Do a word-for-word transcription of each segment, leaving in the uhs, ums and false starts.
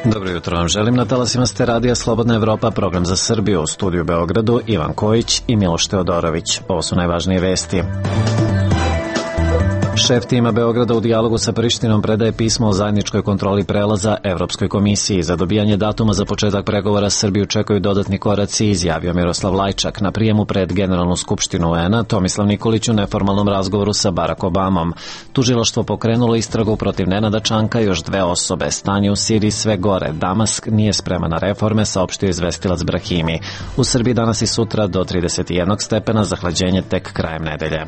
Dobro jutro vam želim, na talasima ste radija Slobodna Evropa, program za Srbiju, u studiju Beogradu Ivan Kojić i Miloš Teodorović. Ovo su najvažnije vesti. Šef tima Beograda u dijalogu sa Prištinom predaje pismo o zajedničkoj kontroli prelaza Evropskoj komisiji. Za dobijanje datuma za početak pregovora Srbiju čekaju dodatni koraci, izjavio Miroslav Lajčak na prijemu pred Generalnu skupštinu U N-a Tomislav Nikolić u neformalnom razgovoru sa Barack Obamom. Tužilaštvo pokrenulo istragu protiv Nenada Čanka i još dve osobe. Stanje u Siriji sve gore. Damask nije spreman na reforme, saopštio izvestilac Brahimi. U Srbiji danas i sutra do trideset jednog stepena, zahlađenje tek krajem nedelje.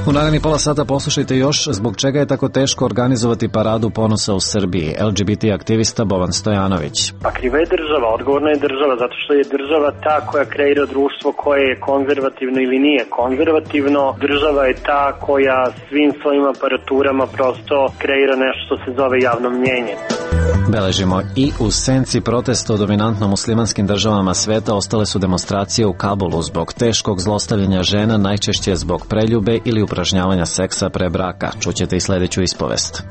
U naredni pola sata poslušajte još zbog čega je tako teško organizovati paradu ponosa u Srbiji. L G B T aktivista Boban Stojanović. Pa kriva je država, odgovorna je država, zato što je država ta koja kreira društvo koje je konzervativno ili nije konzervativno. Država je ta koja svim svojim aparaturama prosto kreira nešto što se zove javno mnjenje. Beležimo i u senci protesta u dominantno muslimanskim državama sveta ostale su demonstracije u Kabulu zbog teškog zlostavljanja žena, najčešće zbog preljube ili upražnjavanja seksa pre braka. Čućete i sledeću ispovest.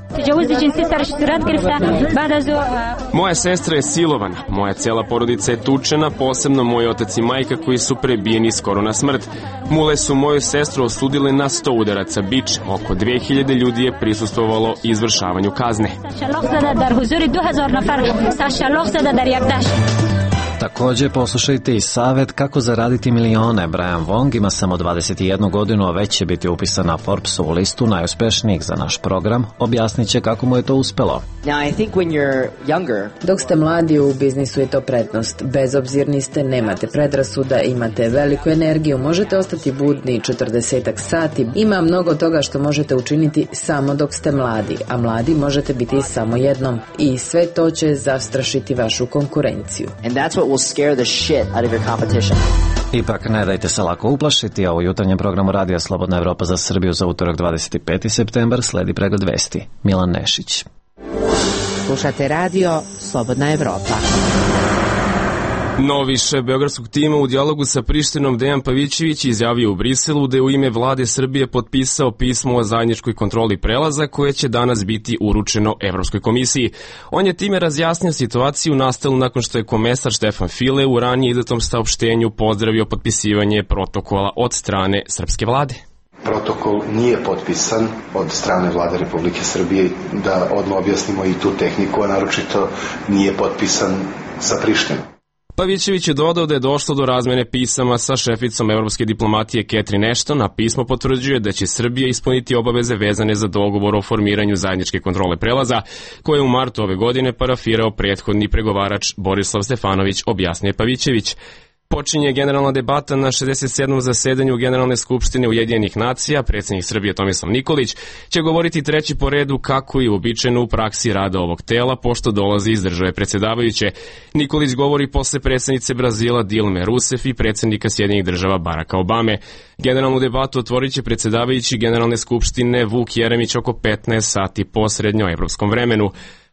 Moja sestra je silovana, moja cela porodica je tučena, posebno moj otac i majka koji su prebijeni skoro na smrt. Mule su moju sestru osudile na sto udaraca bičem. Oko dve hiljade ljudi je prisustvovalo izvršavanju kazne. Takođe poslušajte i savet kako zaraditi milione. Brian Wong ima samo dvadeset jednu godinu, a već će biti upisan na Forbesovu listu najuspešnijih. Za naš program objasnit će kako mu je to uspelo. Dok ste mladi, u biznisu je to prednost. Bezobzirni ste, nemate predrasuda, imate veliku energiju, možete ostati budni četrdesetak sati. Ima mnogo toga što možete učiniti samo dok ste mladi, a mladi možete biti samo jednom. I sve to će zastrašiti vašu konkurenciju. And that's what will scare the shit out of your competition. Ipak ne dajte se lako uplašiti, a u jutarnjem programu Radija Slobodna Evropa za Srbiju za utorak dvadeset peti septembar sledi pregled vesti. Milan Nešić. Slušate radio Slobodna Evropa. Novi šef beogradskog tima u dijalogu sa Prištinom Dejan Pavićević izjavio u Briselu da je u ime vlade Srbije potpisao pismo o zajedničkoj kontroli prelaza koje će danas biti uručeno Evropskoj komisiji. On je time razjasnio situaciju nastalu nakon što je komesar Štefan File u ranije izdatom saopštenju pozdravio potpisivanje protokola od strane srpske vlade. Protokol nije potpisan od strane vlade Republike Srbije, da odmah objasnimo i tu tehniku, a naročito nije potpisan sa Prištinom. Pavićević je dodao da je došlo do razmene pisama sa šeficom evropske diplomatije Catherine Ashton, a pismo potvrđuje da će Srbija ispuniti obaveze vezane za dogovor o formiranju zajedničke kontrole prelaza, koje je u martu ove godine parafirao prethodni pregovarač Borislav Stefanović, objasnio Pavićević. Počinje generalna debata na šezdeset sedmom zasedanju Generalne skupštine Ujedinjenih nacija. Predsjednik Srbije Tomislav Nikolić će govoriti treći po redu kako je uobičajeno u praksi rada ovog tela, pošto dolazi iz države predsjedavajuće. Nikolić govori posle predsjednice Brazila Dilme Rousseff i predsjednika Sjedinjenih država Baracka Obame. Generalnu debatu otvorit će predsjedavajući Generalne skupštine Vuk Jeremić oko petnaest sati po srednjoevropskom vremenu.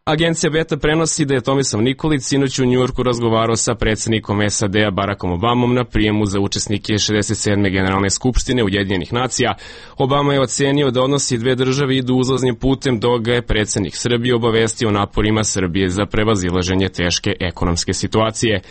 Agencija Beta prenosi da je Tomislav Nikolić sinoć u Njujorku razgovarao sa predsjednikom S A D-a Barackom Obamom na prijemu za učesnike šezdeset sedme Generalne skupštine Ujedinjenih nacija. Obama je ocenio da odnosi dve države idu uzlaznim putem, dok ga je predsjednik Srbije obavestio o naporima Srbije za prevazilaženje teške ekonomske situacije.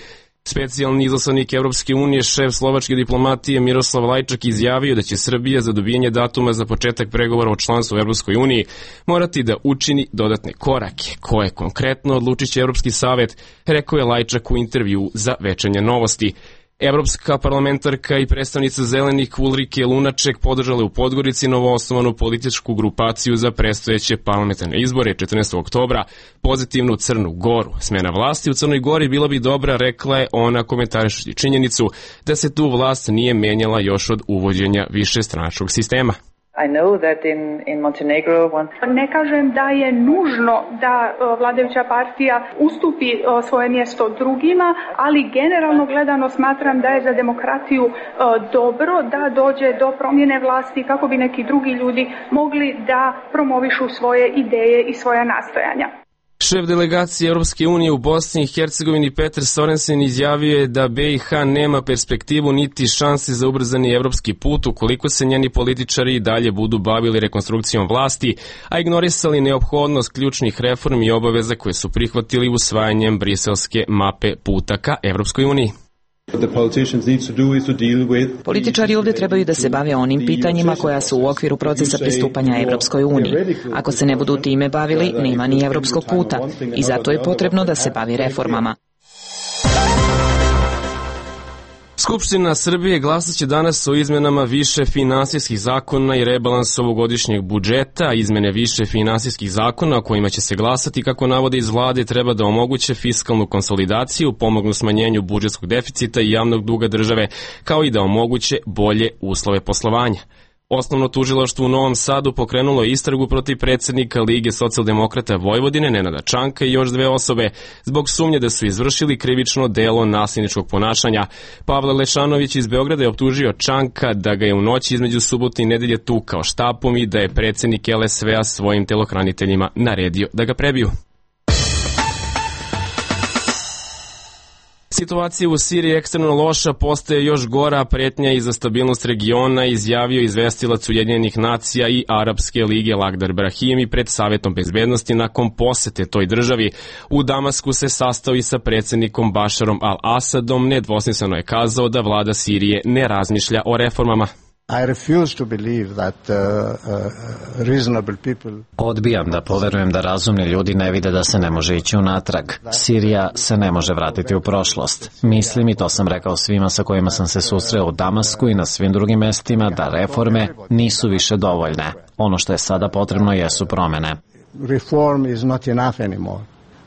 Specijalni izaslanik Evropske unije, šef slovačke diplomatije Miroslav Lajčak izjavio da će Srbija za dobijanje datuma za početak pregovora o članstvu u Evropskoj uniji morati da učini dodatne korake. Koje konkretno odlučit će Evropski savet, rekao je Lajčak u intervju za Večernje novosti. Evropska parlamentarka i predstavnica zelenih Ulrike Lunaček podržala u Podgorici novoosnovanu političku grupaciju za predstojeće parlamentarne izbore četrnaestog oktobra, pozitivnu Crnu Goru. Smena vlasti u Crnoj Gori bila bi dobra, rekla je ona komentarišući činjenicu da se tu vlast nije menjala još od uvođenja višestranačkog sistema. I know that in, in Montenegro one... Ne kažem da je nužno da vladajuća partija ustupi svoje mjesto drugima, ali generalno gledano smatram da je za demokratiju dobro da dođe do promjene vlasti kako bi neki drugi ljudi mogli da promovišu svoje ideje i svoja nastojanja. Šef delegacije Europske unije u Bosni i Hercegovini Petar Sorensen izjavio je da B i H nema perspektivu niti šanse za ubrzani evropski put ukoliko se njeni političari i dalje budu bavili rekonstrukcijom vlasti, a ignorisali neophodnost ključnih reformi i obaveza koje su prihvatili usvajanjem briselske mape puta ka Evropskoj uniji. Političari ovdje trebaju da se bave onim pitanjima koja su u okviru procesa pristupanja Evropskoj uniji. Ako se ne budu time bavili, nema ni evropskog puta i zato je potrebno da se bavi reformama. Skupština Srbije glasat će danas o izmenama više finansijskih zakona i rebalans ovogodišnjeg budžeta. Izmene više finansijskih zakona o kojima će se glasati, kako navode iz vlade, treba da omoguće fiskalnu konsolidaciju, pomognu smanjenju budžetskog deficita i javnog duga države, kao i da omoguće bolje uslove poslovanja. Osnovno tužilaštvo u Novom Sadu pokrenulo je istragu protiv predsjednika Lige socijaldemokrata Vojvodine Nenada Čanka i još dve osobe zbog sumnje da su izvršili krivično delo nasilničkog ponašanja. Pavle Lešanović iz Beograda je optužio Čanka da ga je u noći između subote i nedelje tukao štapom i da je predsjednik L S V-a svojim telohraniteljima naredio da ga prebiju. Situacija u Siriji je ekstremno loša, postaje još gora, pretnja i za stabilnost regiona, izjavio izvestilac Ujedinjenih nacija i Arapske lige Lagdar Brahimi pred Savetom bezbednosti nakon posete toj državi. U Damasku se sastao i sa predsjednikom Bašarom al-Asadom, nedvosmisleno je kazao da vlada Sirije ne razmišlja o reformama. I refuse to believe that uh, uh, reasonable people... Odbijam da poverujem da razumni ljudi ne vide da se ne može ići unatrag. Sirija se ne može vratiti u prošlost. Mislim, i to sam rekao svima sa kojima sam se susreo u Damasku i na svim drugim mestima, da reforme nisu više dovoljne. Ono što je sada potrebno jesu promene. Reform is not enough anymore.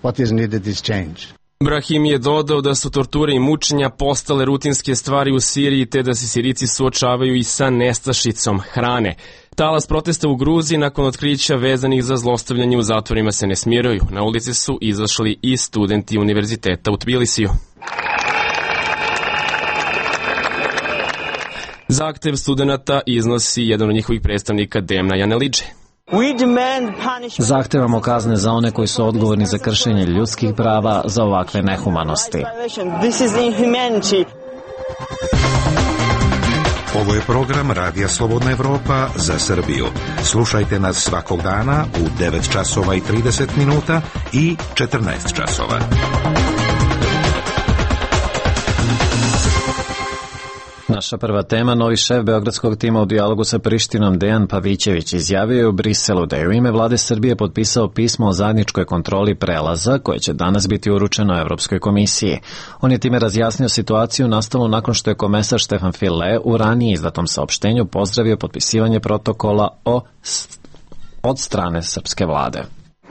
What is needed is change. Brahim je dodao da su torture i mučenja postale rutinske stvari u Siriji te da se Sirijci suočavaju i sa nestašicom hrane. Talas protesta u Gruziji nakon otkrića vezanih za zlostavljanje u zatvorima se ne smiraju. Na ulici su izašli i studenti univerziteta u Tbilisiju. Zahtev studenata iznosi jedan od njihovih predstavnika Demna Janelidže. Zahtevamo kazne za one koji su odgovorni za kršenje ljudskih prava, za ovakve nehumanosti. Ovo je program Radija Slobodna Evropa za Srbiju. Slušajte nas svakog dana u devet časova i trideset minuta i četrnaest časova. Naša prva tema, novi šef beogradskog tima u dijalogu sa Prištinom Dejan Pavićević izjavio je u Briselu da je u ime vlade Srbije potpisao pismo o zajedničkoj kontroli prelaza koje će danas biti uručeno Evropskoj komisiji. On je time razjasnio situaciju nastalu nakon što je komesar Štefan File u ranije izdatom saopštenju pozdravio potpisivanje protokola o od strane srpske vlade.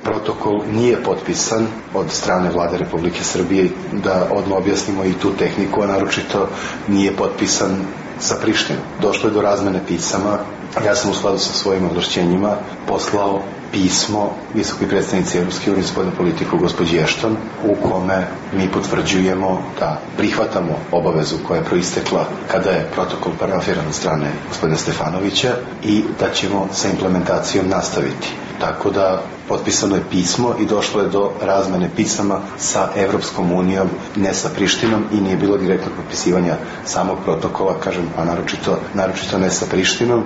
Protokol nije potpisan od strane vlade Republike Srbije, da odmah objasnimo i tu tehniku, a naročito nije potpisan sa Prištinom. Došlo je do razmene pisama. Ja sam u skladu sa svojim ovlašćenjima poslao pismo visokoj predstavnici Evropske unije za spoljnu politiku gospođi Ashton, u kome mi potvrđujemo da prihvatamo obavezu koja je proistekla kada je protokol parafiran od strane gospodina Stefanovića i da ćemo sa implementacijom nastaviti. Tako da potpisano je pismo i došlo je do razmene pisama sa Evropskom unijom, ne sa Prištinom, i nije bilo direktnog potpisivanja samog protokola, kažem, a naročito, naročito ne sa Prištinom.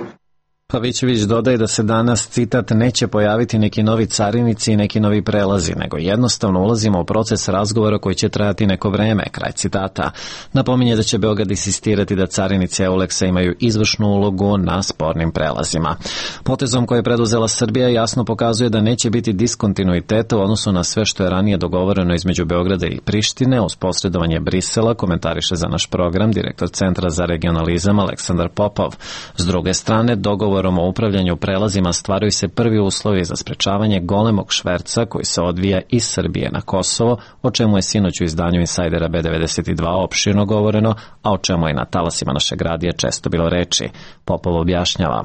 Pavićević dodaje da se danas, citat, neće pojaviti neki novi carinici i neki novi prelazi, nego jednostavno ulazimo u proces razgovora koji će trajati neko vreme, kraj citata. Napominje da će Beograd insistirati da carinici Euleksa imaju izvršnu ulogu na spornim prelazima. Potezom koje je preduzela Srbija jasno pokazuje da neće biti diskontinuiteta u odnosu na sve što je ranije dogovoreno između Beograda i Prištine uz posredovanje Brisela, komentariše za naš program direktor Centra za regionalizam Aleksandar Popov. S druge strane, dogovor o upravljanju prelazima stvaraju se prvi uslovi za sprečavanje golemog šverca koji se odvija iz Srbije na Kosovo, o čemu je sinoć u izdanju Insajdera B devedeset dva opširno govoreno, a o čemu je na talasima našeg radija često bilo reči. Popov objašnjava.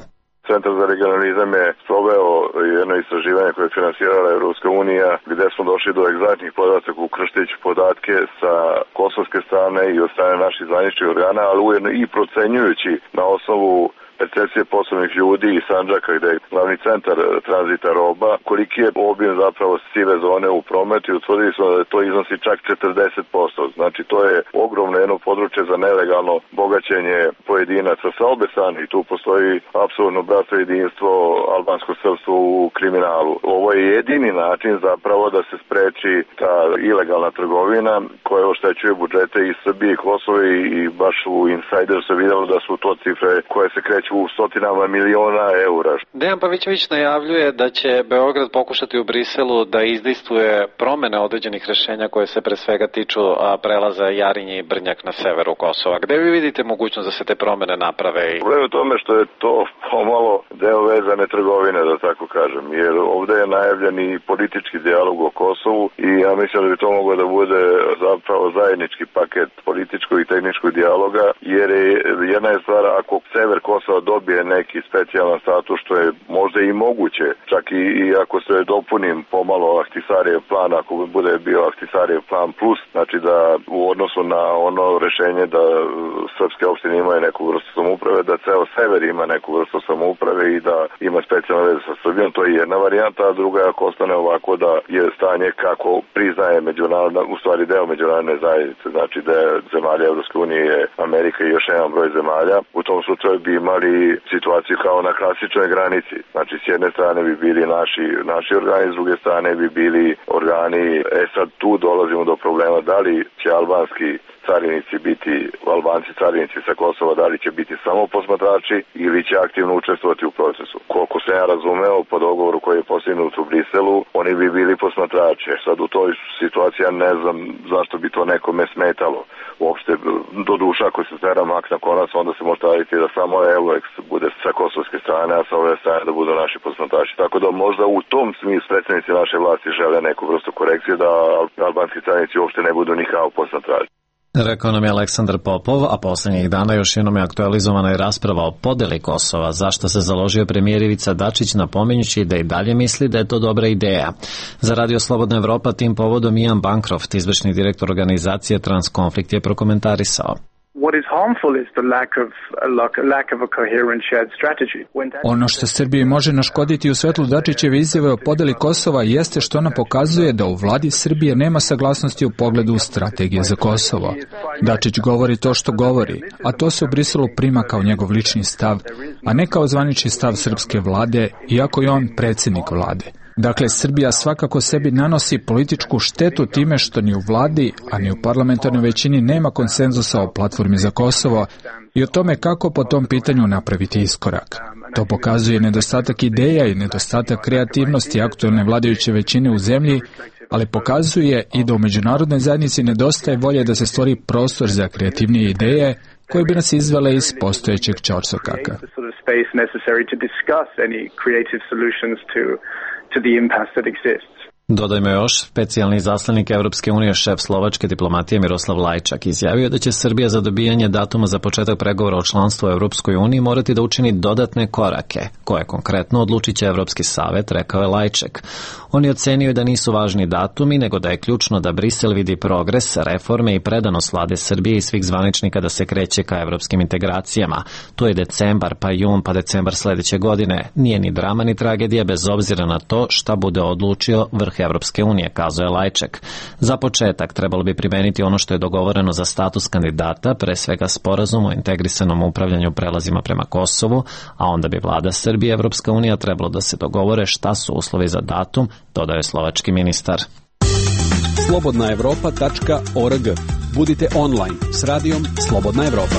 Centar za regionalizam je sproveo jedno istraživanje koje je finansirala Evropska unija, gde smo došli do egzaktnih podataka ukrštajući podatke sa kosovske strane i od strane naših zvaničnih organa, ali ujedno i procenjujući na osnovu percepcije poslovnih ljudi i Sandžaka, gde je glavni centar tranzita roba, koliki je obim zapravo sive zone u prometu i utvrdili smo da to iznosi čak četrdeset posto. Znači to je ogromno jedno područje za nelegalno bogaćenje pojedinaca sa obe strane i tu postoji apsolutno bratstvo jedinstvo albansko srpstvo u kriminalu. Ovo je jedini način zapravo da se spreči ta ilegalna trgovina koja oštećuje budžete i Srbije i Kosova i baš u Insider se videlo da su to cifre koje se kreću u stotinama miliona eura. Dejan Pavićević najavljuje da će Beograd pokušati u Briselu da izdejstvuje promene određenih rešenja koje se pre svega tiču prelaza Jarinje i Brnjak na severu Kosova. Gde vi vidite mogućnost da se te promene naprave? Problem je u tome što je to pomalo deo vezane trgovine, da tako kažem, jer ovde je najavljen i politički dijalog o Kosovu i ja mislim da bi to moglo da bude zapravo zajednički paket političkog i tehničkog dijaloga, jer je jedna je stvar ako sever Kosova dobije neki specijalan status, što je možda i moguće, čak i, i ako se dopunim pomalo Ahtisarijev plan, ako bude bio Ahtisarijev plan plus, znači da u odnosu na ono rešenje da srpske opštine imaju neku vrstu samouprave, da ceo sever ima neku vrstu samouprave i da ima specijalne veze sa Srbijom, to je jedna varijanta, a druga je ako ostane ovako da je stanje kako priznaje međunarodna, u stvari deo međunarodne zajednice, znači da je zemalja Evropske unije, Amerika i još jedan broj zemalja, u tom slučaju bi imali situaciju kao na klasičnoj granici. Znači, s jedne strane bi bili naši, naši organi, s druge strane bi bili organi. E sad tu dolazimo do problema da li će albanski carinici biti, Albanci carinici sa Kosova, da li će biti samo posmatrači ili će aktivno učestvovati u procesu. Koliko se ja razumeo po dogovoru koji je postignut u Briselu, oni bi bili posmatrači. Sad u toj situaciji ja ne znam zašto bi to nekome smetalo. Uopšte, do duša ako se stera mak na konac, onda se može staviti da samo Eloex bude sa kosovske strane, a sa ove strane da budu naši posmatrači. Tako da možda u tom smislu predstavnici naše vlasti žele neku vrstu korekcije da albanski carinici uopšte ne budu ni kao posmatrači. Rekao nam je Aleksandar Popov, a poslednjih dana još jednom je aktualizovana i rasprava o podeli Kosova, zašto se založio premijer Ivica Dačić napominjući da i dalje misli da je to dobra ideja. Za Radio Slobodna Evropa tim povodom Ian Bancroft, izvršni direktor organizacije Transkonflikt, je prokomentarisao. Ono što Srbiji može naškoditi u svetlu Dačićeve izjave o podeli Kosova jeste što ona pokazuje da u vladi Srbije nema saglasnosti u pogledu strategije za Kosovo. Dačić govori to što govori, a to se u Briselu prima kao njegov lični stav, a ne kao zvanični stav srpske vlade, iako je on predsjednik vlade. Dakle, Srbija svakako sebi nanosi političku štetu time što ni u vladi, a ni u parlamentarnoj većini nema konsenzusa o platformi za Kosovo i o tome kako po tom pitanju napraviti iskorak. To pokazuje nedostatak ideja i nedostatak kreativnosti aktuelne vladajuće većine u zemlji, ali pokazuje i da u međunarodnoj zajednici nedostaje volje da se stvori prostor za kreativnije ideje koje bi nas izvele iz postojećeg ćorsokaka. to the impasse that exists. Dodajmo još, specijalni izaslanik Evropske unije, šef slovačke diplomatije Miroslav Lajčak, izjavio da će Srbija za dobijanje datuma za početak pregovora o članstvu u Evropskoj uniji morati da učini dodatne korake, koje konkretno odlučit će Evropski savet, rekao je Lajčak. On je ocenio da nisu važni datumi, nego da je ključno da Brisel vidi progres, reforme i predanost vlade Srbije i svih zvaničnika da se kreće ka evropskim integracijama. To je decembar, pa jun, pa decembar sledeće godine. Nije ni drama ni tragedija bez obzira na to šta bude odlučio vrh Evropske unije, kazao je Lajčak. Za početak trebalo bi primeniti ono što je dogovoreno za status kandidata, pre svega sporazum o integrisanom upravljanju prelazima prema Kosovu, a onda bi vlada Srbije i Evropska unija trebalo da se dogovore šta su uslovi za datum, dodao je slovački ministar. slobodna evropa tačka org. Budite online s radijom Slobodna Evropa.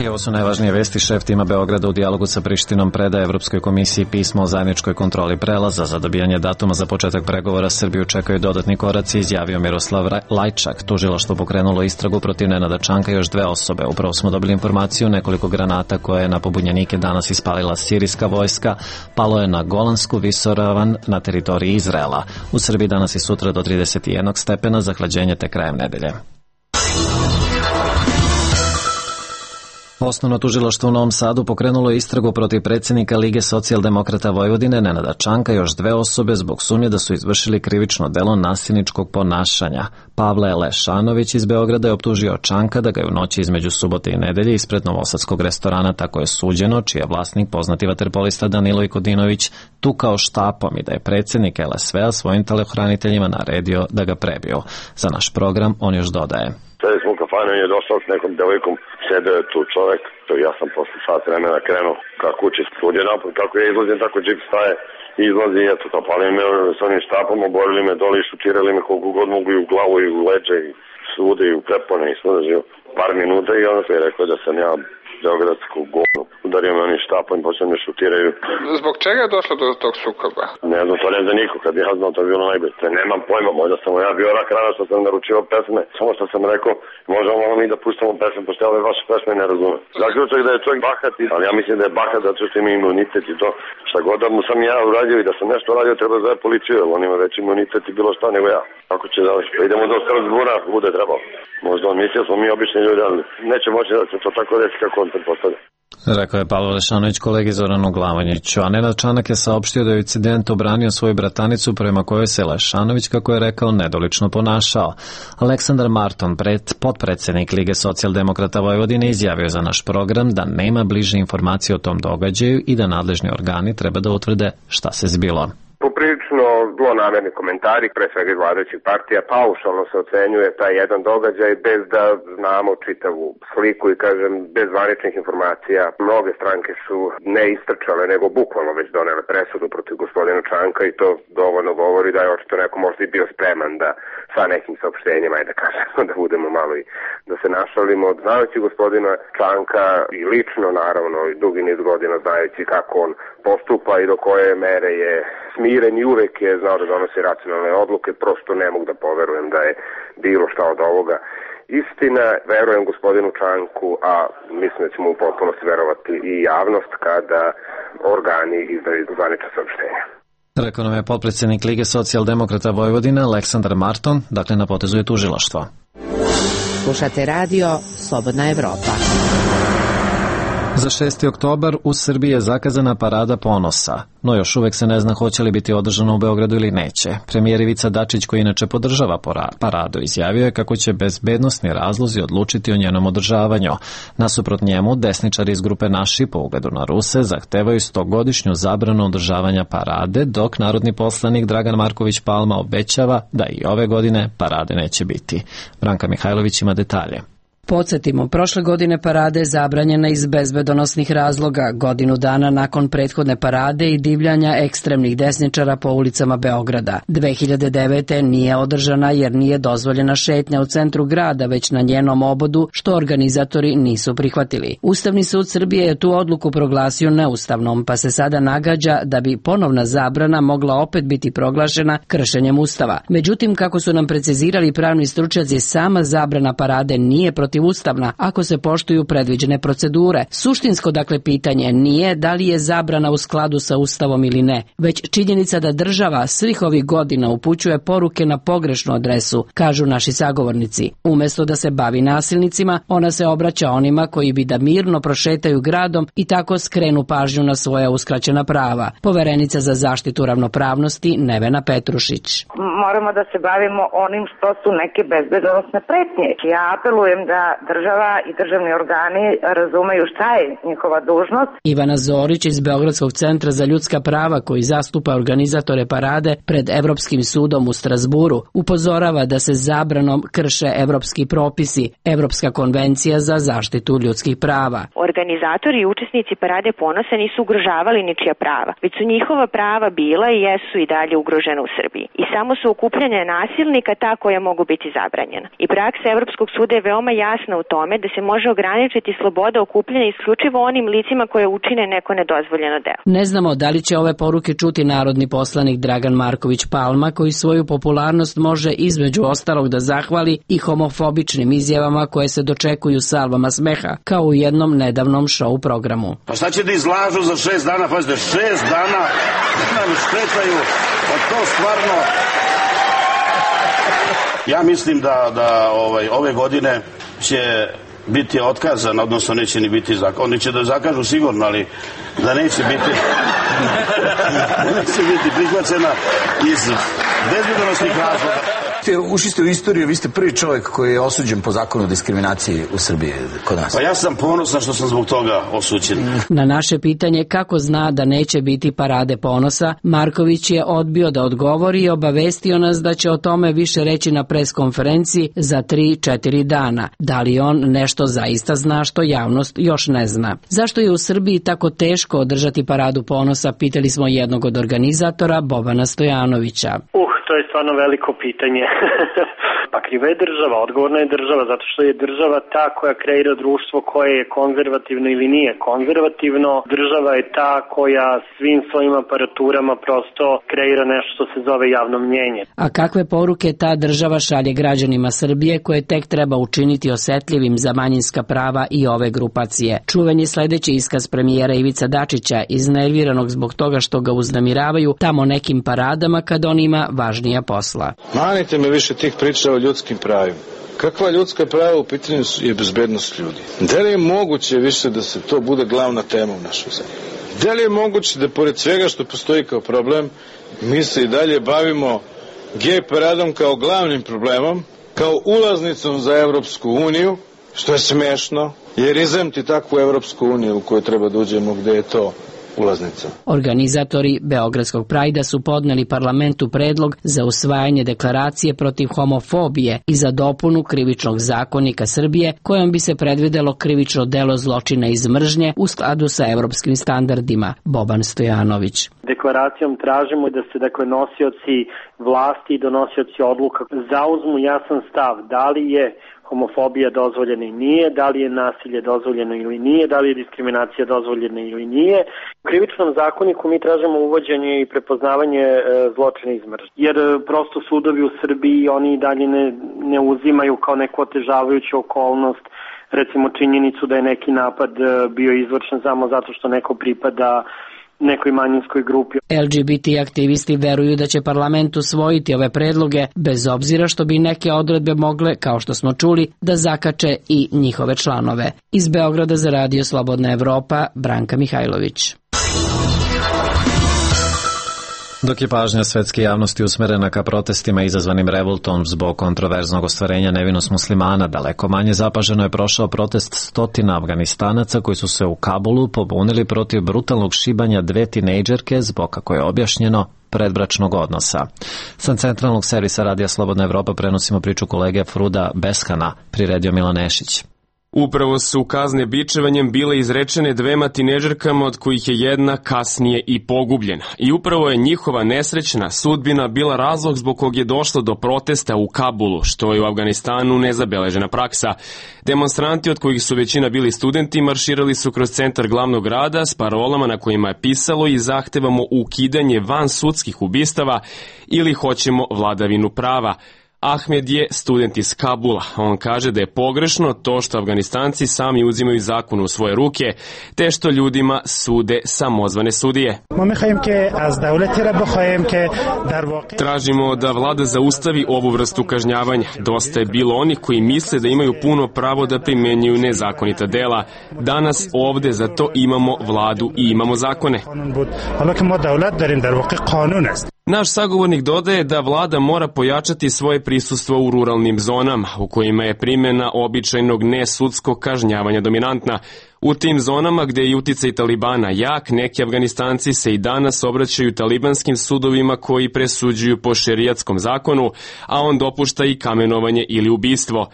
I ovo su najvažnije vesti. Šef tima Beograda u dijalogu sa Prištinom predaje Evropskoj komisiji pismo o zajedničkoj kontroli prelaza. Za dobijanje datuma za početak pregovora Srbiju čekaju dodatni koraci, izjavio Miroslav Lajčak. Tužilaštvo pokrenulo istragu protiv Nenada Čanka i još dve osobe. Upravo smo dobili informaciju, nekoliko granata koje je na pobunjenike danas ispalila sirijska vojska palo je na Golansku visoravan na teritoriji Izraela. U Srbiji danas i sutra do trideset jedan stepena, zahlađenje te krajem nedelje. Osnovno tužilaštvo u Novom Sadu pokrenulo je istragu protiv predsjednika Lige socijaldemokrata Vojvodine Nenada Čanka i još dve osobe zbog sumnje da su izvršili krivično delo nasilničkog ponašanja. Pavle Lešanović iz Beograda je optužio Čanka da ga je u noći između subote i nedelje ispred novosadskog restorana Tako je suđeno, čiji je vlasnik poznati vaterpolista Danilo Ikodinović tukao štapom i da je predsjednik L S V-a svojim telohraniteljima naredio da ga prebiju. Za naš program on još dodaje. Sedi smo u kafanu i je došao s nekom devojkom, sedeo je tu čovek, ja sam posle sat vremena krenuo ka kući, sud je napad, kako ja izlazim, tako džip staje, izlazi i eto, zapalili me s onim štapom, oborili me dole i šutirali me koliko god mogu i u glavu i u leđe i svude i u prepone i svuda živo. Par minuta i onda se je rekao da sam ja beogradsku govnu. Udario me onim štapom i počeo me šutiraju. Zbog čega je došlo do tog sukoba? Ne znam, to ne zna niko, kad ja znam, to je bilo najbolje. Nemam pojma, možda sam ja bio rak rana što sam naručio pesme, samo što sam rekao, možemo mi da pustamo pesme, pošto ja ove vaše pesme ne razumem. Zaključak da je čovjek bahat, ali ja mislim da je bahat zato što ima imunitet i to. Šta god da mu sam ja uradio i da sam nešto uradio, treba zove policiju, jer on ima već imunitet i bilo šta nego ja. Kako će da idemo do Strasbura, bude trebalo. Možda on mislio smo mi obični ljudi, ali neće moći da se to tako desi kako on pretpostavlja. Rekao je Pavle Lešanović kolegi Zoranu Glavanjiću, a Nenad Čanak je saopštio da je incident obranio svoju bratanicu prema kojoj se Lešanović, kako je rekao, nedolično ponašao. Aleksandar Marton, pred, potpredsjednik Lige socijaldemokrata Vojvodine, izjavio za naš program da nema bliže informacije o tom događaju i da nadležni organi treba da utvrde šta se zbilo. Poprilično zlonamerni komentari, pre svega iz vladajućih partija, paušalno se ocenjuje taj jedan događaj bez da znamo čitavu sliku i kažem bez zvaničnih informacija. Mnoge stranke su ne istrčale, nego bukvalno već donele presudu protiv gospodina Čanka i to dovoljno govori da je očito neko možda i bio spreman da sa nekim saopštenjima, ajde da kažemo, da budemo malo i da se našalimo. Znajući gospodina Čanka i lično, naravno, i dugi niz godina znajući kako on postupa i do koje mere je smiren i uvek je znao da donosi racionalne odluke, prosto ne mogu da poverujem da je bilo šta od ovoga istina. Verujem gospodinu Čanku, a mislim da ćemo u potpunosti verovati i javnost kada organi izdaju zvanična saopštenja. Rekao nam je potpredsjednik Lige socijaldemokrata Vojvodine Aleksandar Marton, dakle na potezu je tužilaštvo. Slušate radio Slobodna Evropa. Za šesti oktobar u Srbiji je zakazana Parada ponosa, no još uvek se ne zna hoće li biti održana u Beogradu ili neće. Premijer Ivica Dačić, koji inače podržava paradu, izjavio je kako će bezbednosni razlozi odlučiti o njenom održavanju. Nasuprot njemu, desničari iz grupe Naši, po ugledu na Ruse, zahtevaju stogodišnju zabranu održavanja parade, dok narodni poslanik Dragan Marković Palma obećava da i ove godine parade neće biti. Branka Mihajlović ima detalje. Podsjetimo, prošle godine parade je zabranjena iz bezbedonosnih razloga, godinu dana nakon prethodne parade i divljanja ekstremnih desničara po ulicama Beograda. dve hiljade devete. nije održana jer nije dozvoljena šetnja u centru grada, već na njenom obodu, što organizatori nisu prihvatili. Ustavni sud Srbije je tu odluku proglasio neustavnom, pa se sada nagađa da bi ponovna zabrana mogla opet biti proglašena kršenjem Ustava. Međutim, kako su nam precizirali pravni stručnjaci, sama zabrana parade nije protiv ustavna ako se poštuju predviđene procedure. Suštinsko dakle pitanje nije da li je zabrana u skladu sa Ustavom ili ne, već činjenica da država svih ovih godina upućuje poruke na pogrešnu adresu, kažu naši sagovornici. Umesto da se bavi nasilnicima, ona se obraća onima koji bi da mirno prošetaju gradom i tako skrenu pažnju na svoja uskraćena prava. Poverenica za zaštitu ravnopravnosti Nevena Petrušić. Moramo da se bavimo onim što su neke bezbedonosne pretnje. Ja apelujem da država i državni organi razumeju šta je njihova dužnost. Ivana Zorić iz Beogradskog centra za ljudska prava, koji zastupa organizatore parade pred Evropskim sudom u Strasburu, upozorava da se zabranom krše evropski propisi, Evropska konvencija za zaštitu ljudskih prava. Organizatori i učesnici parade ponosa nisu ugrožavali ničija prava, već su njihova prava bila i jesu i dalje ugrožena u Srbiji. I samo su okupljanja nasilnika ta koja mogu biti zabranjena. I praksa Evropskog suda je veoma jasna u tome da se može ograničiti sloboda okupljanja isključivo onim licima koje učine neko nedozvoljeno delo. Ne znamo da li će ove poruke čuti narodni poslanik Dragan Marković Palma, koji svoju popularnost može između ostalog da zahvali i homofobičnim izjavama koje se dočekuju salvama smeha, kao u jednom nedavnom show programu. Pa šta će da izlažu za šest dana? Pazite, šest dana nam štetaju, pa to stvarno... Ja mislim da, da ovaj, ove godine će biti otkazan, odnosno neće ni biti zakon. Oni će da zakažu sigurno, ali da neće biti neće biti prihvaćena iz bezbednosnih razloga. Ušli ste u istoriju, vi ste prvi čovjek koji je osuđen po zakonu o diskriminaciji u Srbiji kod nas. Pa ja sam ponosan što sam zbog toga osuđen. Na naše pitanje kako zna da neće biti parade ponosa, Marković je odbio da odgovori i obavestio nas da će o tome više reći na preskonferenciji za tri četiri dana. Da li on nešto zaista zna što javnost još ne zna? Zašto je u Srbiji tako teško održati paradu ponosa, pitali smo jednog od organizatora, Bobana Stojanovića. Uh, to je stvarno veliko pitanje. Pa kriva je država, odgovorna je država, zato što je država ta koja kreira društvo koje je konzervativno ili nije konzervativno. Država je ta koja svim svojim aparaturama prosto kreira nešto što se zove javno mnjenje. A kakve poruke ta država šalje građanima Srbije koje tek treba učiniti osetljivim za manjinska prava i ove grupacije? Čuven je sledeći iskaz premijera Ivica Dačića, iznerviranog zbog toga što ga uznemiravaju tamo nekim paradama kad on ima važnija posla. Manite me više tih priča o ljudskim pravima. Kakva ljudska prava u pitanju je bezbednost ljudi? Da li je moguće više da se to bude glavna tema u našoj zemlji? Da li je moguće da pored svega što postoji kao problem, mi se i dalje bavimo gej paradom kao glavnim problemom, kao ulaznicom za Evropsku uniju, što je smešno, jer izemti takvu Evropsku uniju u kojoj treba da uđemo gde je to ulaznica. Organizatori Beogradskog Prajda su podneli parlamentu predlog za usvajanje deklaracije protiv homofobije i za dopunu krivičnog zakonika Srbije kojom bi se predvidelo krivično delo zločina iz mržnje u skladu sa evropskim standardima. Boban Stojanović. Deklaracijom tražimo da se dakle nosioci vlasti i donosioci odluka zauzmu jasan stav da li je homofobija dozvoljena i nije, da li je nasilje dozvoljeno ili nije, da li je diskriminacija dozvoljena ili nije. U krivičnom zakoniku mi tražimo uvođenje i prepoznavanje e, zločina iz mržnje. Jer e, prosto sudovi u Srbiji oni i dalje ne, ne uzimaju kao neku otežavajuću okolnost recimo činjenicu da je neki napad e, bio izvršen samo zato što neko pripada nekoj manjinskoj grupi. L G B T aktivisti veruju da će parlament usvojiti ove predloge, bez obzira što bi neke odredbe mogle, kao što smo čuli, da zakače i njihove članove. Iz Beograda za Radio Slobodna Evropa, Branka Mihajlović. Dok je pažnja svetske javnosti usmerena ka protestima izazvanim revoltom zbog kontroverznog ostvarenja nevinost muslimana, daleko manje zapaženo je prošao protest stotina Afganistanaca koji su se u Kabulu pobunili protiv brutalnog šibanja dve tinejdžerke zbog, kako je objašnjeno, predbračnog odnosa. Sa centralnog servisa Radija Slobodna Evropa prenosimo priču kolege Fruda Beskana, priredio Milan Nešić. Upravo su kazne bičevanjem bile izrečene dvema tinejdžerkama od kojih je jedna kasnije i pogubljena. I upravo je njihova nesrećna sudbina bila razlog zbog kog je došlo do protesta u Kabulu, što je u Afganistanu nezabeležena praksa. Demonstranti, od kojih su većina bili studenti, marširali su kroz centar glavnog grada s parolama na kojima je pisalo i zahtevamo ukidanje van sudskih ubistava ili hoćemo vladavinu prava. Ahmed je student iz Kabula. On kaže da je pogrešno to što Afganistanci sami uzimaju zakon u svoje ruke, te što ljudima sude samozvane sudije. Tražimo da vlada zaustavi ovu vrstu kažnjavanja. Dosta je bilo onih koji misle da imaju puno pravo da primenjuju nezakonita dela. Danas ovde za to imamo vladu i imamo zakone. Naš sagovornik dodaje da vlada mora pojačati svoje prisustvo u ruralnim zonama, u kojima je primjena običajnog nesudskog kažnjavanja dominantna. U tim zonama gde je uticaj Talibana jak, neki Afganistanci se i danas obraćaju talibanskim sudovima koji presuđuju po šerijatskom zakonu, a on dopušta i kamenovanje ili ubistvo.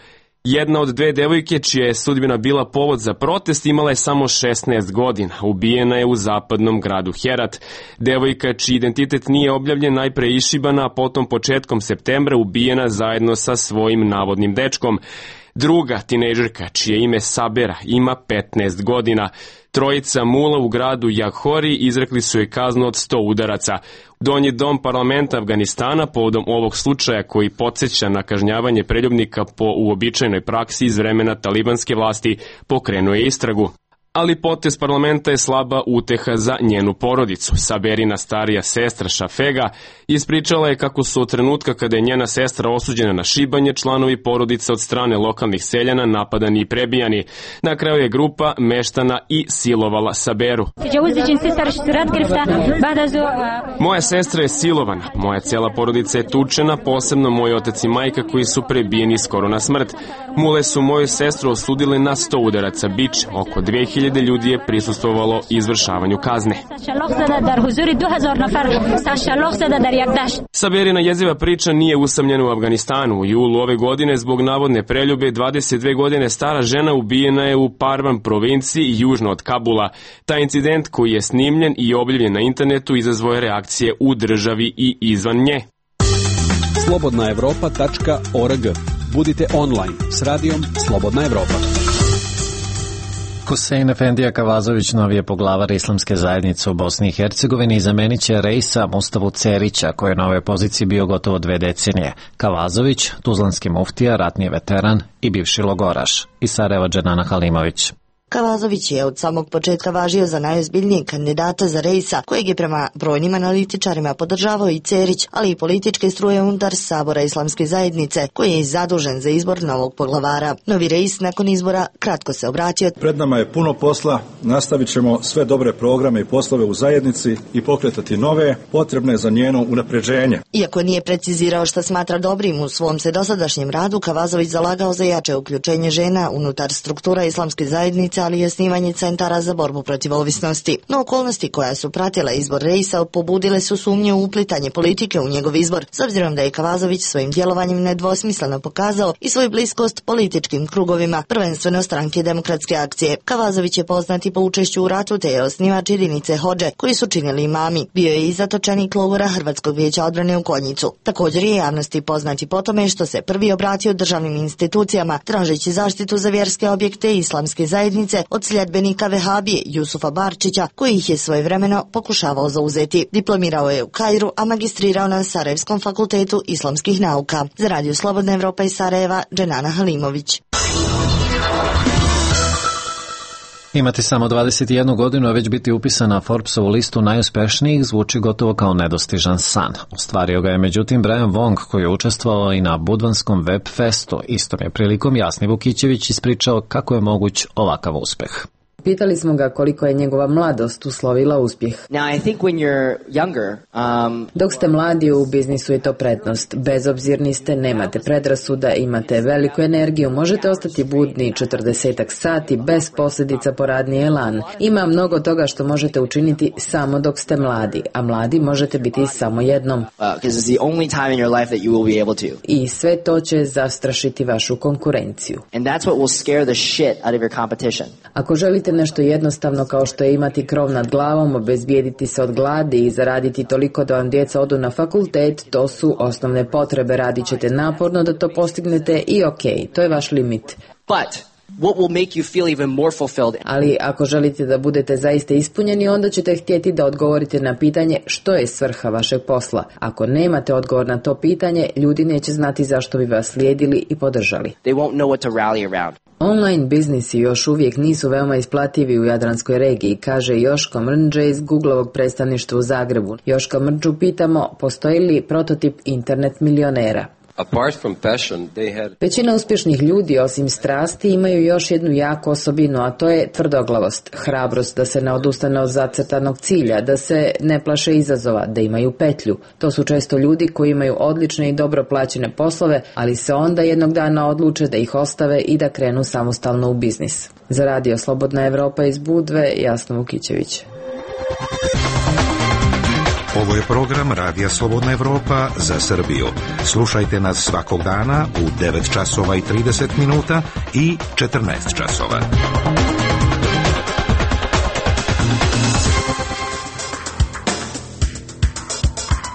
Jedna od dve devojke čija je sudbina bila povod za protest imala je samo šesnaest godina. Ubijena je u zapadnom gradu Herat. Devojka čiji identitet nije objavljen najpre išibana, a potom početkom septembra ubijena zajedno sa svojim navodnim dečkom. Druga tinejdžerka, čije ime Sabera, ima petnaest godina. Trojica mula u gradu Jaghori izrekli su joj kaznu od sto udaraca. Donji dom parlamenta Afganistana povodom ovog slučaja koji podsjeća na kažnjavanje preljubnika po uobičajenoj praksi iz vremena talibanske vlasti pokrenuo je istragu. ali potez parlamenta je slaba uteha za njenu porodicu. Saberina starija sestra Šafega ispričala je kako su od trenutka kada je njena sestra osuđena na šibanje, članovi porodice od strane lokalnih seljana napadani i prebijani. Na kraju je grupa meštana i silovala Saberu. Moja sestra je silovana, moja cela porodica je tučena, posebno moj otac i majka koji su prebijeni skoro na smrt. Mule su moju sestru osudile na sto udaraca bič, oko dve hiljade ljudi je prisustvovalo izvršavanju kazne. Saberina jeziva priča nije usamljena u Afganistanu. U julu ove godine zbog navodne preljube dvadeset dve godine stara žena ubijena je u Parvan provinciji južno od Kabula. Taj incident koji je snimljen i objavljen na internetu izazvao je reakcije u državi i izvan nje. slobodna evropa tačka org. Budite online s radijom Slobodna Evropa. Husein Efendija Kavazović, novi je poglavar Islamske zajednice u Bosni i Hercegovini i zamenit će Reisa Mustavu Cerića, koji je na ovoj poziciji bio gotovo dve decenije. Kavazović, tuzlanski muftija, ratni veteran i bivši logoraš. Iz Sarajeva Dženana Halimović. Kavazović je od samog početka važio za najozbiljnijeg kandidata za Reisa, kojeg je prema brojnim analitičarima podržavao i Cerić, ali i političke struje unutar Sabora Islamske zajednice, koji je zadužen za izbor novog poglavara. Novi Reis nakon izbora kratko se obratio. Pred nama je puno posla, nastavit ćemo sve dobre programe i poslove u zajednici i pokretati nove, potrebne za njeno unapređenje. Iako nije precizirao šta smatra dobrim u svom se dosadašnjem radu, Kavazović zalagao za jače uključenje žena unutar struktura Islamske zajednice, ali i osnivanje centara za borbu protiv ovisnosti. No okolnosti koja su pratila izbor Reisa pobudile su sumnje u uplitanje politike u njegov izbor, s obzirom da je Kavazović svojim djelovanjem nedvosmisleno pokazao i svoju bliskost političkim krugovima, prvenstveno stranke Demokratske akcije. Kavazović je poznati po učešću u ratu, te je osnivač jedinice Hodže, koji su činili imami. Bio je i zatočenik logora Hrvatskog vijeća odbrane u Konjicu. Također je javnosti poznati po tome što se prvi obratio državnim institucijama, tražeći zaštitu za vjerske objekte Islamske zajednice od sljedbenika Vehabije Jusufa Barčića, koji ih je svojevremeno pokušavao zauzeti. Diplomirao je u Kairu, a magistrirao na Sarajevskom fakultetu islamskih nauka. Za Radio Slobodna Evropa iz Sarajeva, Dženana Halimović. Imati samo dvadeset jednu godinu, a već biti upisan na Forbesovu listu najuspešnijih zvuči gotovo kao nedostižan san. Ostvario ga je međutim Brian Wong, koji je učestvovao i na Budvanskom web festu. Istom je prilikom Jasni Vukićević ispričao kako je moguć ovakav uspeh. Pitali smo ga koliko je njegova mladost uslovila uspjeh. Now, I think when you're younger, um... Dok ste mladi, u biznisu je to prednost. Bezobzirni ste, nemate predrasuda, imate veliku energiju, možete ostati budni četrdesetak sati bez posljedica po radni elan. Ima mnogo toga što možete učiniti samo dok ste mladi, a mladi možete biti samo jednom. Uh, 'cause it's the only time in your life that you will be able to. I sve to će zastrašiti vašu konkurenciju. And that's what will scare the shit out of your competition. Ako želite nešto jednostavno kao što je imati krov nad glavom, obezbijediti se od gladi i zaraditi toliko da vam djeca odu na fakultet, to su osnovne potrebe. Radit ćete naporno da to postignete i ok, to je vaš limit. But what will make you feel even more fulfilled? Ali ako želite da budete zaista ispunjeni, onda ćete htjeti da odgovorite na pitanje što je svrha vašeg posla. Ako nemate odgovor na to pitanje, ljudi neće znati zašto bi vas slijedili i podržali. They won't know what to rally around. Online biznisi još uvijek nisu veoma isplativi u Jadranskoj regiji, kaže Joško Mrnđe iz Googlovog predstavništva u Zagrebu. Joško Mrnđu pitamo, postoji li prototip internet milionera? Apart from passion, they had... Većina uspješnih ljudi, osim strasti, imaju još jednu jaku osobinu, a to je tvrdoglavost, hrabrost da se ne odustane od zacrtanog cilja, da se ne plaše izazova, da imaju petlju. To su često ljudi koji imaju odlične i dobro plaćene poslove, ali se onda jednog dana odluče da ih ostave i da krenu samostalno u biznis. Za Radio Slobodna Evropa iz Budve, Jasna Vukićević. Ovo je program Radija Slobodna Evropa za Srbiju. Slušajte nas svakog dana u devet časova i trideset minuta i četrnaest časova.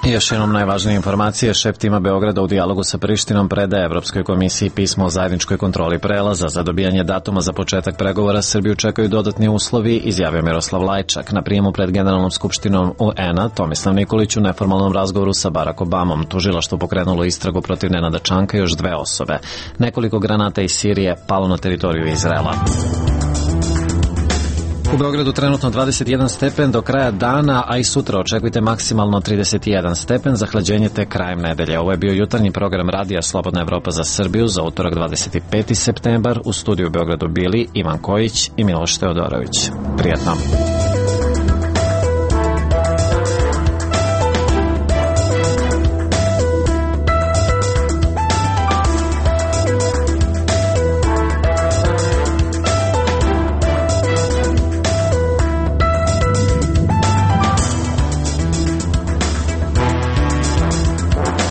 I još jednom najvažnije informacije. Šef tima Beograda u dijalogu sa Prištinom predaje Evropskoj komisiji pismo o zajedničkoj kontroli prelaza. Za dobijanje datuma za početak pregovora Srbiju čekaju dodatni uslovi, izjavio Miroslav Lajčak. Na prijemu pred Generalnom skupštinom U N-a Tomislav Nikolić u neformalnom razgovoru sa Barack Obamom. Tužilaštvo pokrenulo istragu protiv Nenada Čanka i još dve osobe. Nekoliko granata iz Sirije palo na teritoriju Izraela. U Beogradu trenutno dvadeset jedan stepen do kraja dana, a i sutra očekujte maksimalno trideset jedan stepen, zahlađenje te krajem nedelje. Ovo je bio jutarnji program Radija Slobodna Evropa za Srbiju za utorak dvadeset peti septembar. U studiju u Beogradu bili Ivan Kojić i Miloš Teodorović. Prijatno.